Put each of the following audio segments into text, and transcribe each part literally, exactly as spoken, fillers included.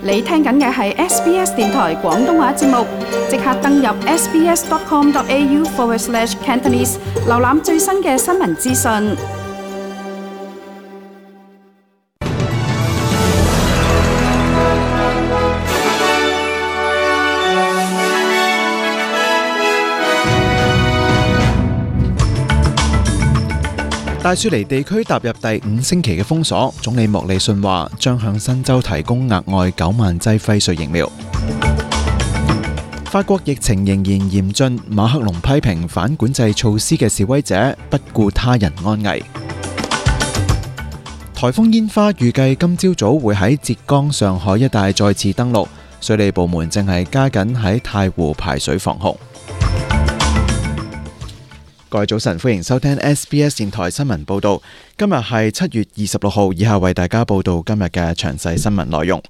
你聽緊嘅係 S B S 電台廣東話節目，即刻登入 sbs.com.au forward slash Cantonese， 瀏覽最新嘅新聞資訊。戴雪梨地區踏入第五星期嘅封鎖，總理莫里遜話將向新州提供額外九萬劑輝瑞疫苗。法國疫情仍然嚴峻，馬克龍批評反管制措施嘅示威者不顧他人安危。颱風煙花預計今朝早會喺浙江、上海一帶再次登陸，水利部門正係加緊喺太湖排水防洪。各位早晨，歡迎收聽 S B S 電台新聞報道。今日係七月二十六號，以下為大家報道今日嘅詳細新聞內容。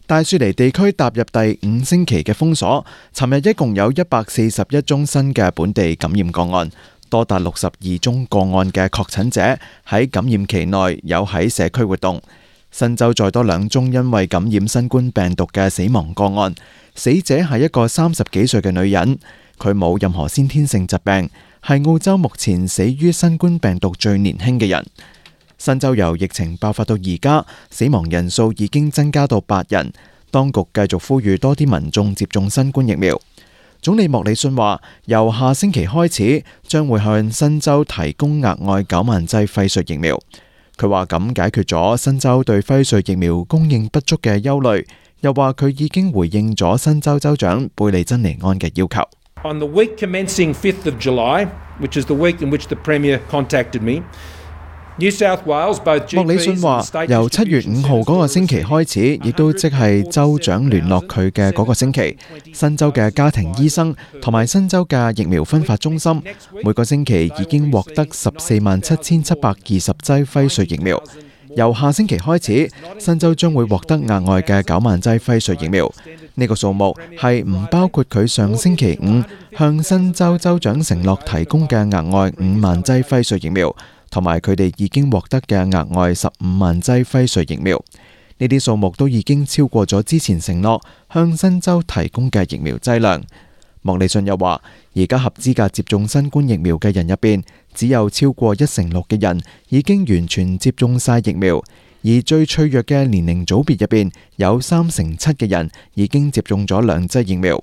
大雪梨地區踏入第五星期嘅封鎖，尋日一共有一百四十一宗新嘅本地感染個案，多達六十二宗個案嘅確診者喺感染期內有喺社區活動。新州再多兩宗因為感染新冠病毒嘅死亡個案，死者係一個三十幾歲嘅女人，佢冇任何先天性疾病，係澳洲目前死於新冠病毒最年輕嘅人。新州由疫情爆發到而家，死亡人數已經增加到八人。當局繼續呼籲多啲民眾接種新冠疫苗。總理莫里遜話，由下星期開始，將會向新州提供額外九萬劑輝瑞疫苗。佢話咁解決咗新州對輝瑞疫苗供應不足嘅憂慮，又話佢已經回應咗新州州長貝利珍尼安嘅要求。On the week commencing fifth of July, which is the week in which the Premier contacted me, New South Wales both G Ps 莫里遜話，由七月五號嗰個星期開始，亦都即係州長聯絡佢嘅嗰個星期，新州嘅家庭醫生同埋新州嘅疫苗分發中心，每個星期已經獲得十四萬七千七百二十劑輝瑞疫苗。由下星期開始，新州將會獲得額外嘅九萬劑輝瑞疫苗。呢個數目係唔包括佢上星期五向新州州長承諾提供嘅額外五萬劑輝瑞疫苗，同埋佢哋已經獲得嘅額外十五萬劑輝瑞疫苗。呢啲數目都已經超過咗之前承諾向新州提供嘅疫苗劑量。莫里遜又話，而家合資格接種新冠疫苗嘅人入邊，只有超過一成六嘅人已經完全接種晒疫苗，而最脆弱嘅年齡組別入邊，有三成七嘅人已經接種咗兩劑疫苗。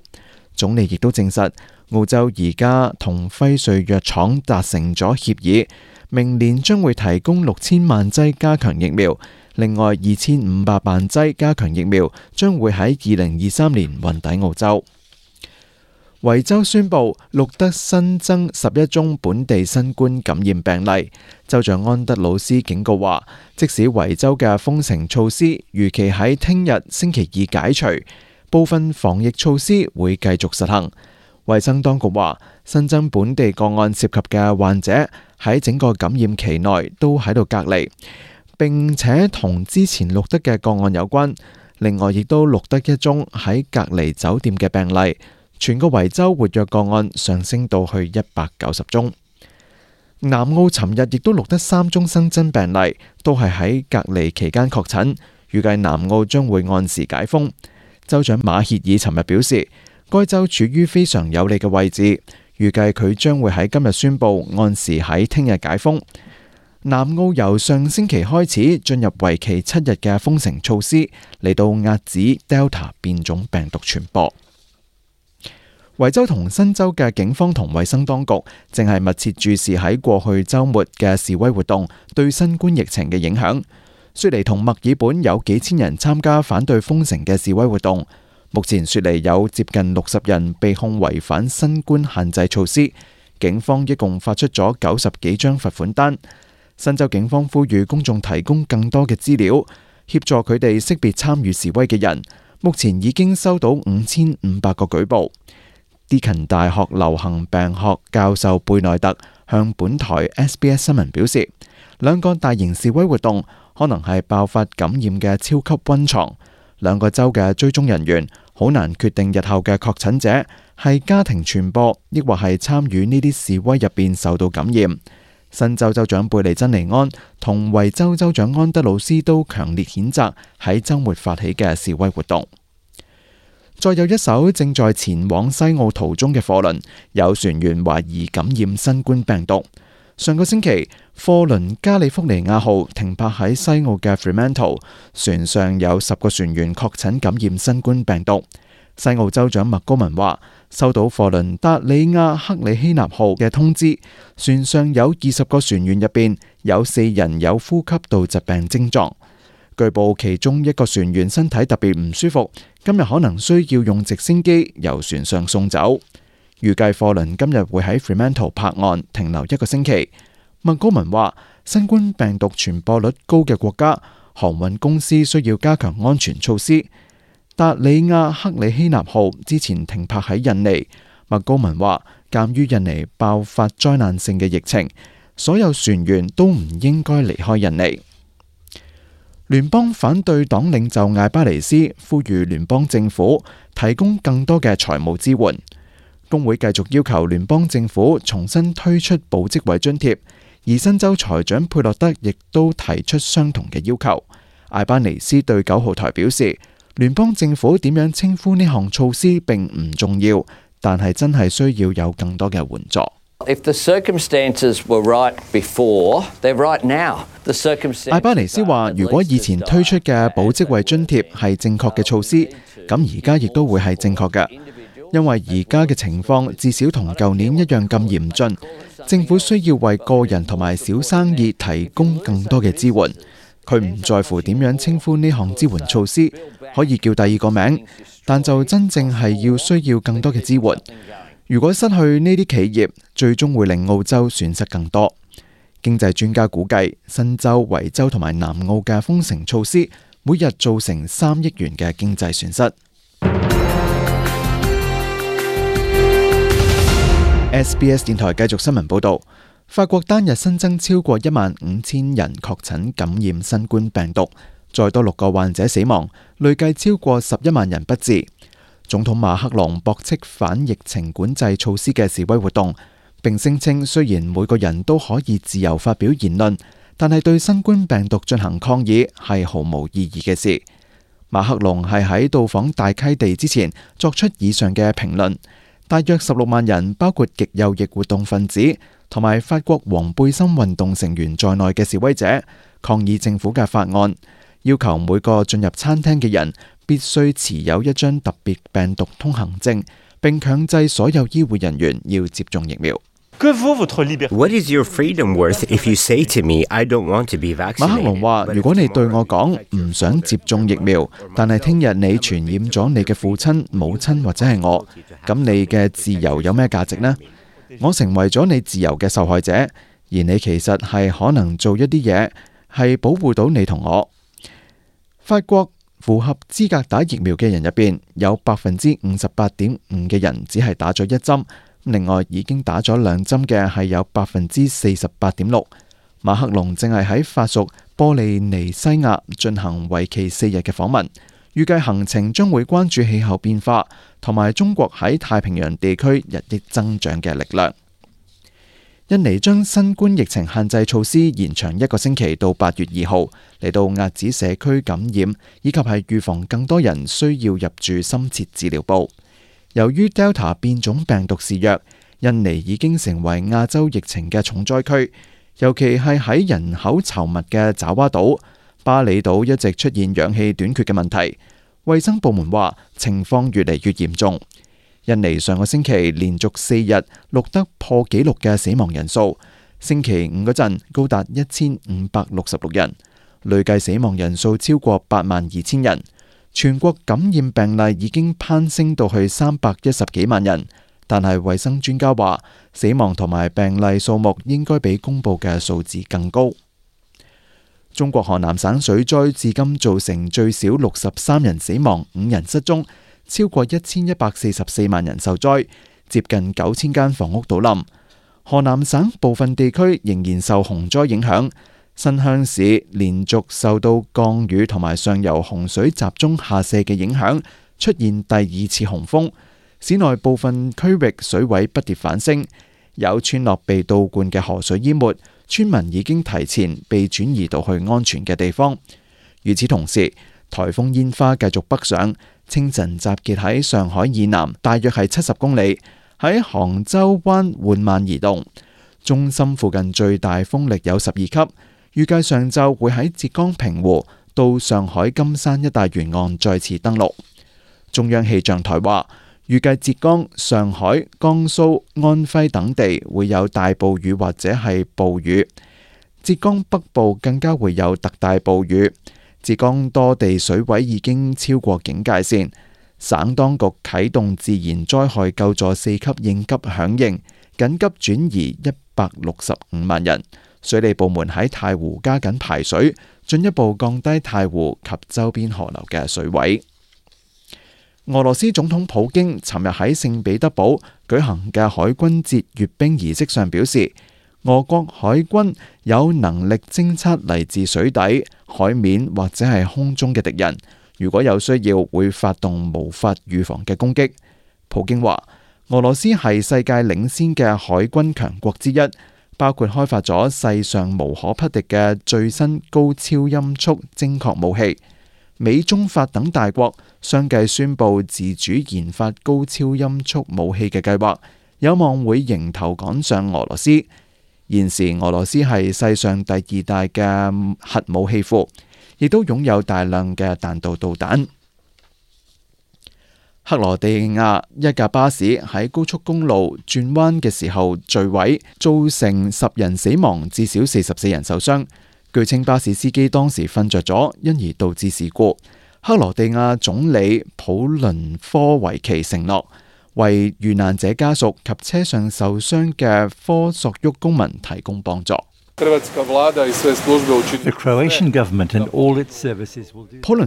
總理亦都證實，澳洲而家同輝瑞藥廠達成咗協議，明年將會提供六千萬劑加強疫苗，另外二千五百萬劑加強疫苗將會喺二零二三年運抵澳洲。維州宣布錄得新增十一宗本地新冠感染病例。州長安德魯斯警告話，即使維州嘅封城措施預期喺聽日星期二解除，部分防疫措施會繼續實行。衛生當局話，新增本地個案涉及嘅患者喺整個感染期內都喺度隔離，並且同之前錄得嘅個案有關。另外，亦都錄得一宗喺隔離酒店嘅病例。全個維州活躍個案上升到去一百九十宗。南澳尋日亦都錄得三宗新增病例，都係喺隔離期間確診。預計南澳將會按時解封。州長馬歇爾尋日表示，該州處於非常有利嘅位置，預計佢將會喺今日宣布按時喺聽日解封。南澳由上星期開始進入為期七日嘅封城措施，嚟到遏止 Delta 變種病毒傳播。維州同新州嘅警方同衛生當局正係密切注視喺過去週末嘅示威活動對新冠疫情嘅影響。雪梨同墨爾本有幾千人參加反對封城嘅示威活動。目前雪梨有接近六十人被控違反新冠限制措施，警方一共發出咗九十幾張罰款單。新州警方呼籲公眾提供更多嘅資料，協助佢哋識別參與示威嘅人。目前已經收到五千五百個舉報。Deakin 大學流行病學教授貝內特向本台 S B S 新聞表示，兩個大型示威活動可能係爆發感染嘅超級溫床。兩個州嘅追蹤人員好難決定日後嘅確診者係家庭傳播，抑或係參與呢啲示威入邊受到感染。新州州長貝利珍尼安同維州州長安德魯斯都強烈譴責喺週末發起嘅示威活動。再有一艘正在前往西澳途中嘅貨輪，有船員懷疑感染新冠病毒。上個星期，貨輪加利福尼亞號停泊喺西澳嘅 Fremantle， 船上有十個船員確診感染新冠病毒。西澳州長麥高文話，收到貨輪達里亞克里希納號嘅通知，船上有二十個船員入邊有四人有呼吸道疾病症狀。據報其中一個船員身體特別唔舒服，今日可能需要用直升機由船上送走。預計貨輪今日會喺 Fremantle 泊岸停留一個星期。麥高文話，新冠病毒傳播率高嘅國家，航運公司需要加強安全措施。達里亞克里希納號之前停泊喺印尼。麥高文話，鑑於印尼爆發災難性嘅疫情，所有船員都唔應該離開印尼。聯邦反對黨領袖艾巴尼斯呼籲聯邦政府提供更多嘅財務支援。工會繼續要求聯邦政府重新推出保職位津貼，而新州財長佩洛德亦都提出相同嘅要求。艾巴尼斯對九號台表示，聯邦政府點樣稱呼呢項措施並唔重要，但係真係需要有更多嘅援助。If the circumstances were right before, they're right now. The circumstances. 艾巴尼斯話，如果以前推出嘅保職位津貼係正確嘅措施，咁而家亦都會係正確嘅，因為而家嘅情況至少同舊年一樣咁嚴峻。政府需要為個人同埋小生意提供更多嘅支援。佢唔在乎點樣稱呼呢項支援措施，可以叫第二個名，但就真正係要需要更多嘅支援。如果失去呢啲企業，最終會令澳洲損失更多。經濟專家估計，新州、維州同埋南澳嘅封城措施，每日造成三億元嘅經濟損失。S B S 電台繼續新聞報導。法國單日新增超過一萬五千人確診感染新冠病毒，再多六個患者死亡，累計超過十一萬人不治。總統馬克龍駁斥反疫情管制措施嘅示威活動，並聲稱雖然每個人都可以自由發表言論，但係對新冠病毒進行抗議係毫無意義嘅事。馬克龍係喺到訪大溪地之前作出以上嘅評論。大約十六萬人，包括極右翼活動分子同埋法國黃背心運動成員在內嘅示威者，抗議政府嘅法案，要求每個進入餐廳嘅人必須持有一張特別病毒通行證，並強制所有醫護人員要接種疫苗。What is your freedom worth if you say to me, I don't want to be vaccinated? 馬克龍話：如果你對我講唔想接種疫苗，但係聽日你傳染咗你嘅父親、母親或者係我，咁你嘅自由有咩價值呢？我成為咗你自由嘅受害者，而你其實係可能做一啲嘢，係保護到你同我。法國符合資格打疫苗嘅人入邊，有百分之五十八點五嘅人只係打咗一針。另外已經打咗兩針嘅係有百分之四十八點六。馬克龍正係喺法屬波利尼西亞進行為期四日嘅訪問，預計行程將會關注氣候變化同埋中國喺太平洋地區日益增長嘅力量。印尼將新冠疫情限制措施延長一個星期到八月二號，嚟到遏止社區感染，以及係預防更多人需要入住深切治療部。由於 Delta 變種病毒肆虐，印尼已經成為亞洲疫情嘅重災區，尤其係喺人口稠密嘅爪哇島、巴厘島一直出現氧氣短缺嘅問題。衛生部門話情況越嚟越嚴重。印尼上個星期連續四日錄得破紀錄嘅死亡人數，星期五嗰陣高達一千五百六十六人，累計死亡人數超過八萬二千人。全國感染病例已經攀升到去三百一十幾萬人，但係衛生專家話死亡同埋病例數目應該比公佈嘅數字更高。中國河南省水災至今造成最少六十三人死亡、五人失蹤，超過一千一百四十四萬人受災，接近九千間房屋倒冧。河南省部分地區仍然受洪災影響。新鄉市連續受到降雨同埋上游洪水集中下瀉嘅影響，出現第二次洪峰。市內部分區域水位不跌反升，有村落被倒灌嘅河水淹沒，村民已經提前被轉移到去安全嘅地方。與此同時，颱風煙花繼續北上，清晨集結喺上海以南，大約係七十公里，喺杭州灣緩慢移動。中心附近最大風力有十二級，預計上晝會喺浙江平湖到上海金山一帶沿岸再次登陸。中央氣象台話，預計浙江、上海、江蘇、安徽等地會有大暴雨或者係暴雨，浙江北部更加會有特大暴雨。浙江多地水位已經超過警戒線，省當局啟動自然災害救助四級應急響應，緊急轉移一百六十五萬人。水利部門喺太湖加緊排水，進一步降低太湖及周邊河流嘅水位。俄羅斯總統普京尋日喺聖彼得堡舉行嘅海軍節閱兵儀式上表示，俄國海軍有能力偵測嚟自水底、海面或者係空中嘅敵人，如果有需要會發動無法預防嘅攻擊。普京話，俄羅斯係世界領先嘅海軍強國之一，包括開發咗世上無可匹敵嘅最新高超音速精確武器。美中法等大國相繼宣布自主研發高超音速武器嘅計劃，有望會迎頭趕上俄羅斯。現時俄羅斯係世上第二大嘅核武器庫，亦都擁有大量嘅彈道導彈。克羅地亞一架巴士喺高速公路轉彎嘅時候墜毀，造成十人死亡，至少四十四人受傷。據稱巴士司機當時瞓着咗，因而導致事故。克羅地亞總理普倫科維奇承諾為遇難者家屬及車上受傷嘅科索沃公民提供幫助。普倫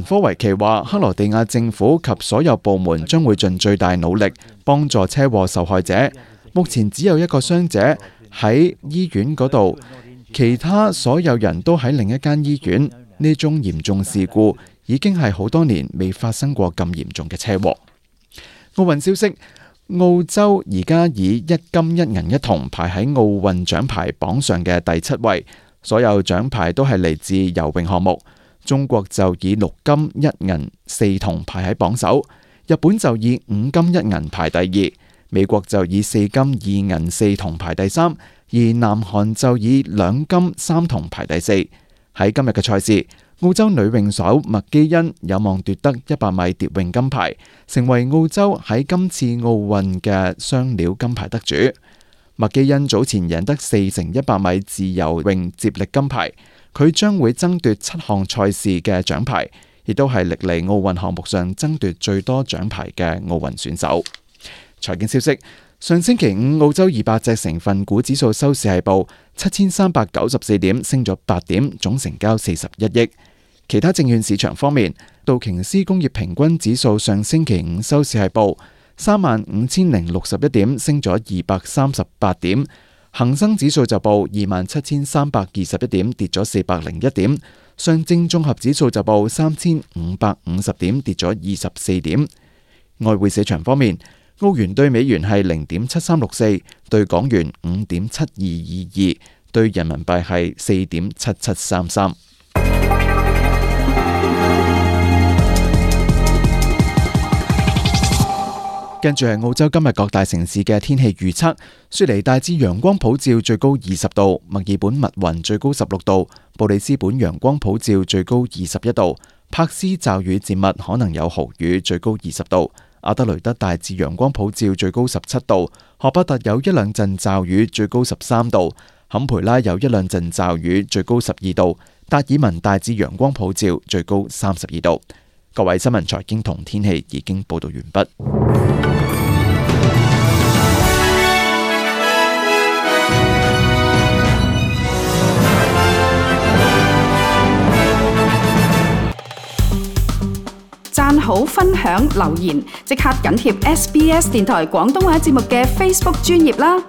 科維奇話，克羅地亞政府及所有部門將會盡最大努力幫助車禍受害者。目前只有一個傷者喺醫院嗰度，其他所有人都喺另一間醫院。呢宗嚴重事故已經係好多年未發生過咁嚴重嘅車禍。奧運消息，澳洲而家以一金一銀一銅排喺奧運獎牌榜上嘅第七位，所有獎牌都係嚟自游泳項目。中國就以六金一銀四銅排喺榜首，日本就以五金一銀排第二，美國就以四金二銀四銅排第三，而南韓就以兩金三銅排第四。喺今日嘅賽事，澳洲女泳手麥基恩有望奪得一百米蝶泳金牌，成為澳洲喺今次奧運嘅雙料金牌得主。麥基恩早前贏得四乘一百米自由泳接力金牌，佢將會爭奪七項賽事嘅獎牌，亦都係歷嚟奧運項目上爭奪最多獎牌嘅奧運選手。財經消息，上星期五澳洲二百隻成分股指數收市係報七千三百九十四點，升咗八點，總成交四十一億。其他證券市場方面，道瓊斯工業平均指數上星期五收市係報三萬五千零六十一點，升咗二百三十八點。恒生指數就報二萬七千三百二十一點，跌咗四百零一點。上證綜合指數就報三千五百五十點，跌咗二十四點。外匯市場方面，澳元對美元係零點七三六四，對港元五點七二二二，對人民幣係四點七七三三。跟住係澳洲今日各大城市嘅天氣預測：雪梨大致陽光普照，最高二十度；墨爾本密雲，最高十六度；布里斯本陽光普照，最高二十一度；柏斯驟雨漸密，可能有豪雨，最高二十度；阿德雷德大致陽光普照，最高十七度；荷伯特有一兩陣驟雨，最高十三度；坎培拉有一兩陣驟雨，最高十二度；達爾文大致陽光普照，最高三十二度。各位新聞財經同天氣已經報道完畢。讚好、分享、留言，即刻緊貼 S B S 電台廣東話節目嘅 Facebook 專頁啦！